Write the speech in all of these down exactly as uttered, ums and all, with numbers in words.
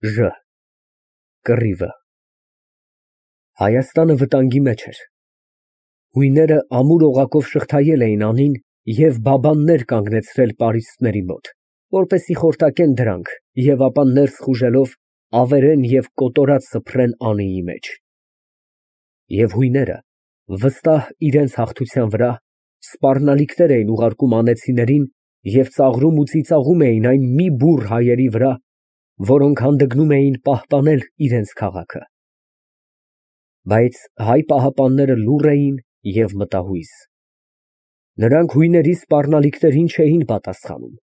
Ժ կռիվը Հայաստանը վտանգի մեջ էր։ Հույները ամուր օղակով շղթայել էին անին և բաբաններ կանգնեցրել պարիսպների մոտ, որպեսզի խորտակեն դրանք և ապա ներս խուժելով ավերեն և կոտորած սփռեն Անիի մեջ։ Եվ հույները վստահ իրենց հաղթության վրա սպառնալիքներ էին ուղարկում անեծիներին և ծաղրում ու ծիծաղում էին այն մի բուռ հայերի վրա, որոնք հանդգնում էին պահպանել իրենց քաղաքը։ Բայց հայ պահապանները լուռ էին և մտահույս։ Նրանք հույների սպառնալիքներին չէին պատասխանում,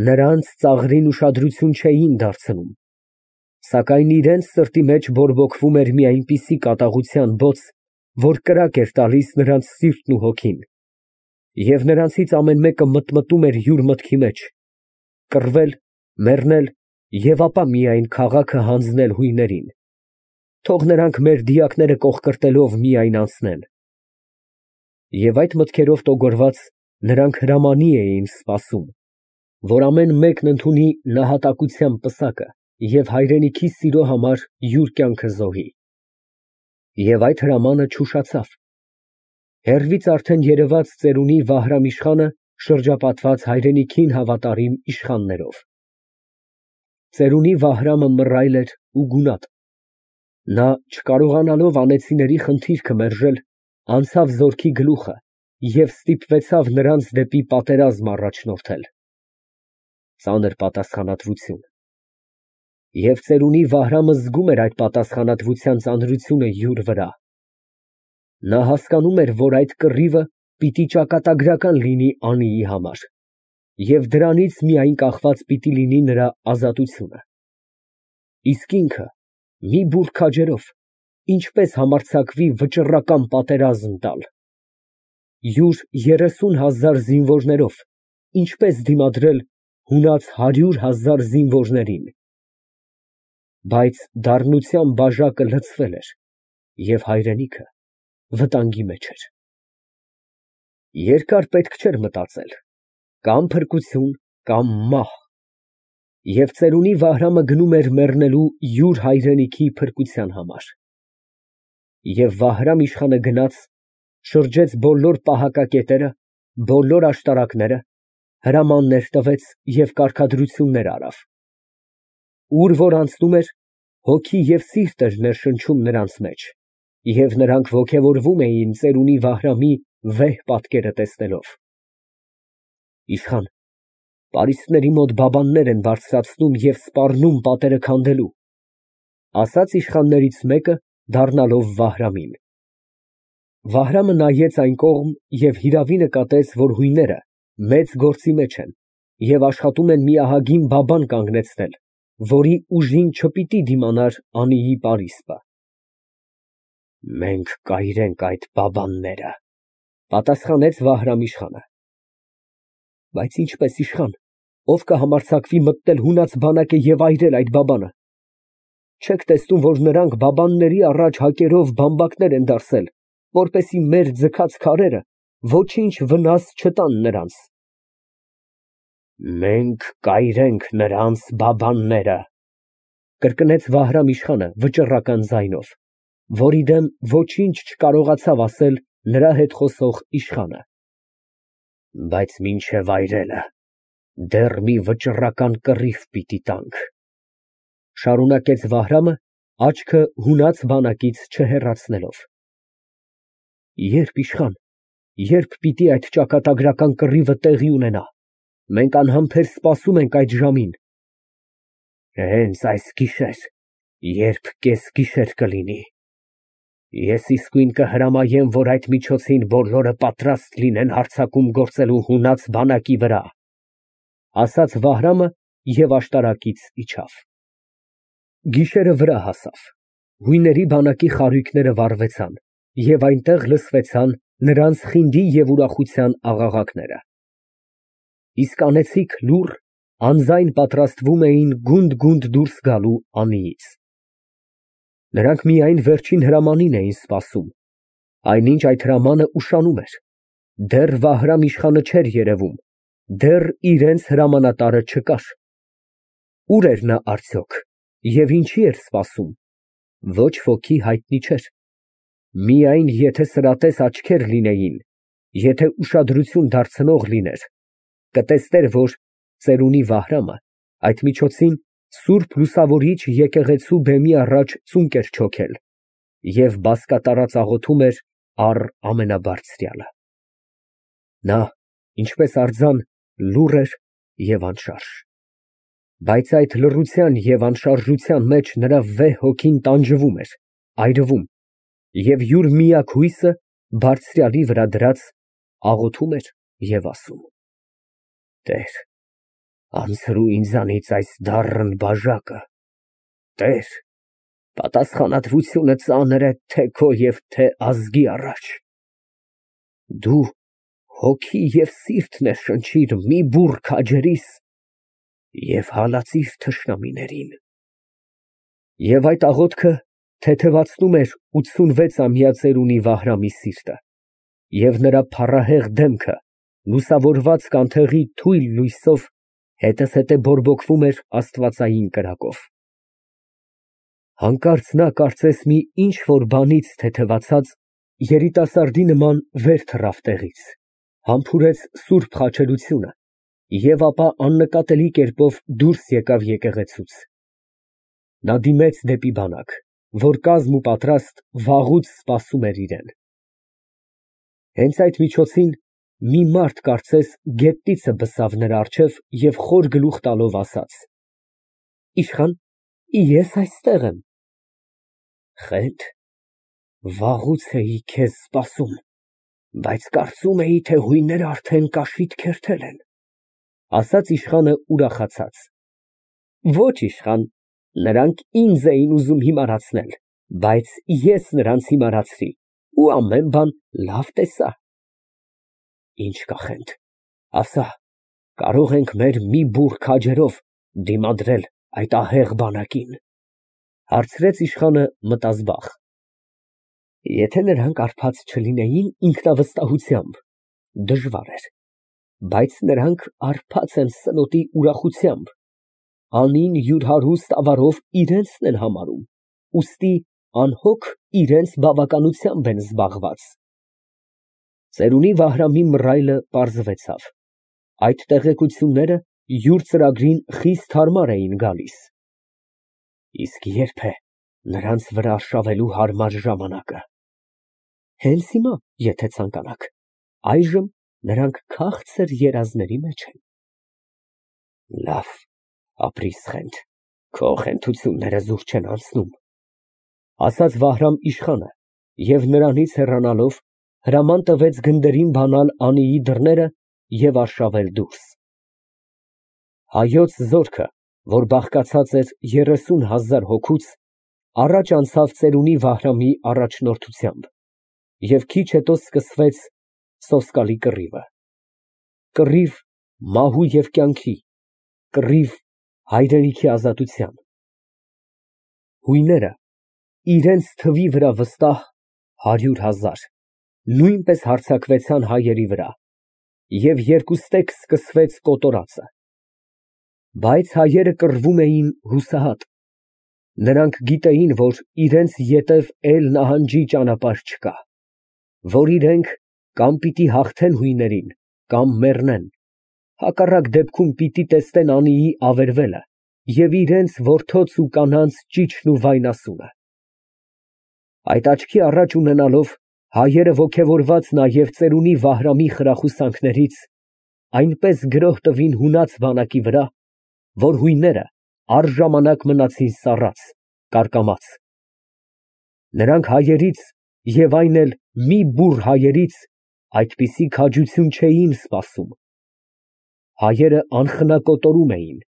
նրանց ծաղրին ուշադրություն չէին դարձնում, սակայն իրենց սրտի մեջ բորբոքվում էր մի այնպիսի կատաղության բոց, որ կրակ էր տալիս նրանց սիրտն ու հոգին, և նրանցից ամեն մեկը մտմտում էր յուր մտքի մեջ՝ կռվել, մեռնել և ապա միայն քաղաքը հանձնել հույներին, թող նրանք մեր դիակները կոխկրտելով միայն անցնեն։ Եվ այդ մտքերով տոգորված, նրանք հրամանի էին սպասում, որ ամեն մեկն ընդունի նահատակության պսակը և հայրենիքի սիրո համար յուր կյանքը զոհի։ Եվ այդ հրամանը չուշացավ։ Հեռվից արդեն երևաց ծերունի Վահրամ֊իշխանը շրջապատված հայրենիքին հավատարիմ իշխաններով։ Ծերունի Վահրամը մռայլ էր ու գունատ։ Նա, չկարողանալով անեծիների խնդիրքը մերժել, անցավ զորքի գլուխը և ստիպվեցավ նրանց դեպի պատերազմ առաջնորդել։ Ծանր պատասխանատվություն։ Եվ ծերունի Վահրամը զգում էր այդ պատասխանատվության ծանրությունը յուր վրա։ Նա հասկանում էր, որ այդ կռիվը պիտի ճակատագրական լինի Անիի համար, և դրանից միայն կախված պիտի լինի նրա ազատությունը։ Իսկ ինքը, մի բուռ քաջերով, ինչպես համարձակվի վճռական պատերազմ տալ։ Յուր երեսուն հազար զինվորներով ինչպես դիմադրել հունած հարյուր հազար զինվորներին։ Բայց դառնության բաժակը լցվել էր, և հայրենիքը վտանգի մեջ էր։ Երկար պետք չէր մտածել, կամ փրկություն, կամ մահ, և ծերունի Վահրամը գնում էր մեռնելու յուր հայրենիքի փրկության համար։ Եվ Վահրամ֊իշխանը գնաց, շրջեց բոլոր պահակակետերը, բոլոր աշտարակները, հրամաններ տվեց և կարգադրություններ արավ։ Ուր որ անցնում էր, հոգի և սիրտ էր ներշնչում նրանց մեջ, և նրանք ոգևորվում էին ծերունի Վահրամի վեհ պատկերը տեսնելով։ Իշխան, պարիսպների մոտ բաբաններ են բարձրացնում և սպառնում պատերը քանդելու, ֊ ասաց իշխաններից մեկը, դառնալով Վահրամին։ Վահրամը նայեց այն կողմ և հիրավի նկատեց, որ հույները մեծ գործի մեջ են և աշխատում են մի ահագին բաբան կանգնեցնել, որի ուժին չպիտի դիմանար Անիի պարիսպը։ Մենք կայրենք այդ բաբանները, ֊ պատասխանեց Վահրամ֊իշխանը։ Բայց ինչպե՞ս, իշխան, ով կհամարձակվի մտնել հունած բանակը և այրել այդ բաբանը։ Չեք տեսնում, որ նրանք բաբանների առաջ հակերով բամբակներ են դարսել, որպեսզի մեր ձգած քարերը ոչինչ վնաս չտան նրանց։ Մենք կայրենք նրանց բաբանները, ֊ կրկնեց Վահրամ֊իշխանը վճռական ձայնով, որի դեմ ոչինչ չկարողացավ ասել նրա հետ խոսող իշխանը։ Բայց մինչև այրելը դեռ մի վճռական կռիվ պիտի տանք, ֊ շարունակեց Վահրամը, աչքը հունած բանակից չհեռացնելով։ Ե՞րբ, իշխան, ե՞րբ պիտի այդ ճակատագրական կռիվը տեղի ունենա։ Մենք անհամբեր սպասում ենք այդ ժամին։ Հենց այս գիշեր, երբ կեսգիշեր կլինի, ես իսկույն կհրամայեմ, որ այդ միջոցին բոլորը պատրաստ լինեն հարձակում գործելու հունած բանակի վրա, ֊ ասաց Վահրամը և աշտարակից իջավ։ Գիշերը վրա հասավ, հույների բանակի խարույկները վառվեցան, և այնտեղ լսվեցան նրանց խինդի և ուրախության աղաղակները։ Իսկ անեծիկ լուռ, անձայն պատրաստվում էին գունդ֊գունդ դուրս գալու Անիից։ Նրանք միայն վերջին հրամանին էին սպասում, այնինչ այդ հրամանը ուշանում էր, դեռ Վահրամ֊իշխանը չէր երևում, դեռ իրենց հրամանատարը չկար։ Ուր էր նա արդյոք, Եվ ինչի էր սպասում, ոչ ոքի հայտնի չէր, միայն եթե սրատես աչքեր լինեին, եթե ուշադրություն դարձնող լիներ, կտեսներ, որ ծերունի Վահրամը այդ միջոցին սուրբ լուսավորիչ եկեղեցու բեմի առաջ ծունկ էր չոքել և բազկատարած աղոթում էր առ ամենաբարձրյալը։ Նա, ինչպես արձան, լուռ էր և անշարժ, բայց այդ լռության և անշարժության մեջ նրա վեհ հոգին տանջվում էր, այրվում և յուր միակ հույսը բարձրյալի վրա դրած, աղոթում էր և ասում. «Տեր, անձրու ինձանից այս դառն բաժակը, Տեր, պատասխանատվությունը ծանր է թե քո և թե ազգի առաջ, դու հոգի և սիրտ ներշնչիր մի բուռ քաջերիս և հալածիր թշնամիներին»։ Եվ այդ աղոթքը թեթևացնում էր ութսունվեցամյա ծերունի Վահրամի սիրտը, և նրա փառահեղ դեմքը լուսավորված կանթեղի թույլ լույսով հետզհետե բորբոքվում էր աստվածային կրակով։ Հանկարծ նա կարծես մի ինչ֊որ բանից թեթևացած, երիտասարդի նման վեր թռավ տեղից, համբուրեց սուրբ խաչելությունը և ապա աննկատելի կերպով դուրս եկավ եկեղեցուց։ Նա դիմեց դեպի բանակ, որ կազմ ու պատրաստ վաղուց սպասում էր իրան։ Հենց այդ միջոցին մի մարդ կարծես գետնիցը բսավ նրա առջև և խոր գլուխ տալով ասաց. «Իշխան, ես այստեղ եմ»։ «Խենթ, վաղուց էի քեզ սպասում, բայց կարծում էի, թե հույները արդեն կաշիդ քերթել են», ֊ ասաց իշխանը ուրախացած։ «Ոչ, իշխան, նրանք ինձ էին ուզում հիմարացնել, բայց ես նրանց հիմարացրի ու ամեն բան լավ տեսա»։ «Ինչ կա, Խենթ, ասա, կարո՞ղ ենք մեր մի բուռ քաջերով դիմադրել այդ ահեղ բանակին», ֊ հարցրեց իշխանը մտազբաղ։ «Եթե նրանք հարբած չլինեին ինքնավստահությամբ, դժվար էր, բայց նրանք հարբած են սնոտի ուրախությամբ, անին յուր հարուստ ավարով իրենցն են համարում, ուստի անհոգ իրենց բավականությամբ են զբաղված»։ Ծերունի Վահրամի մռայլը պարզվեցավ, այդ տեղեկությունները յուր ծրագրին խիստ հարմար էին գալիս։ Իսկ ե՞րբ է նրանց վրա արշավելու հարմար ժամանակը։ Հենց հիմա, եթե ցանկանաք, այժմ նրանք քաղցր երազների մեջ են։ Լավ, ապրիր, Խենթ, քո խենթությունները զուր չեն անցնում, ֊ ասաց Վահրամ իշխանը և նրանից հեռանալով հրաման տվեց գնդերին բանալ անիի դռները և արշավել դուրս։ Հայոց զորքը, որ բաղկացած էր երեսուն հազար հոգուց, առաջ անցավ ծերունի Վահրամի առաջնորդությամբ, և քիչ հետո սկսվեց սոսկալի կռիվը։ Կռիվ մահու և կյանքի, կռիվ հայրենիքի ազատության։ Հույները, իրենց թվի վրա վստահ հարյուր հազար, նույնպես հարձակվեցան հայերի վրա, և երկուստեք սկսվեց կոտորածը։ Բայց հայերը կռվում էին հուսահատ. նրանք գիտեին, որ իրենց ետև էլ նահանջի ճանապարհ չկա, որ իրենք կամ պիտի հաղթեն հույներին, կամ մեռնեն, հակառակ դեպքում պիտի տեսնեն անիի ավերվելը և իրենց որդոց ու կանանց ճիչն ու վայնասունը։ Այդ աչքի առաջ ունենալով, հայերը ոգևորված նաև ծերունի Վահրամի խրախուսանքներից, այնպես գրոհ տվին հունած բանակի վրա, որ հույները առժամանակ մնացին սառած, կարկամած։ Նրանք հայերից և այն էլ մի բուռ հայերից այդպիսի քաջություն չէին սպասում։ Հայերը անխնա կոտորում էին,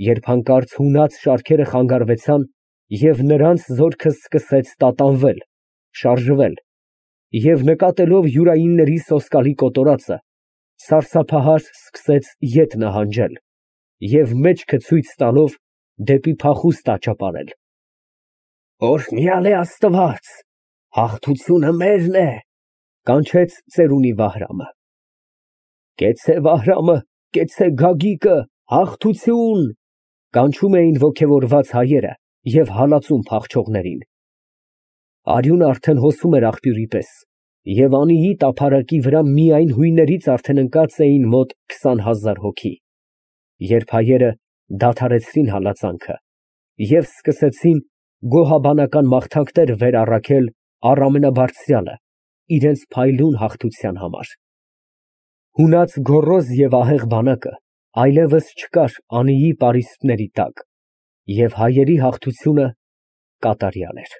երբ հանկարծ հունած շարքերը խանգարվեցան և նրանց զորքը սկսեց տատանվել, շարժվել և նկատելով յուրայինների սոսկալի կոտորածը, սարսափահար սկսեց ետ նահանջել և մեջքը ցույց տալով դեպի փախուստ աճապարել։ «Օրհնյալ է Աստված, հաղթությունը մերն է», ֊ կանչեց ծերունի Վահրամը։ «Կեցցե Վահրամը, կեցցե Գագիկը, հաղթություն», ֊ կանչում էին ոգևորված հայերը և հալածում փախչողներին։ Արյունը արդեն հոսում էր աղբյուրի պես, և Անիի տափարակի վրա միայն հույներից արդեն ընկած էին մոտ քսան հազար հոգի, երբ հայերը դադարեցրին հալածանքը և սկսեցին գոհաբանական մաղթանքներ վեր առաքել առ Ամենաբարձրյալը իրենց փայլուն հաղթության համար։ Հունած գոռոզ և ահեղ բանակը այլևս չկար Անիի պարիսպների տակ, և հայերի հաղթությունը կատարյալ էր։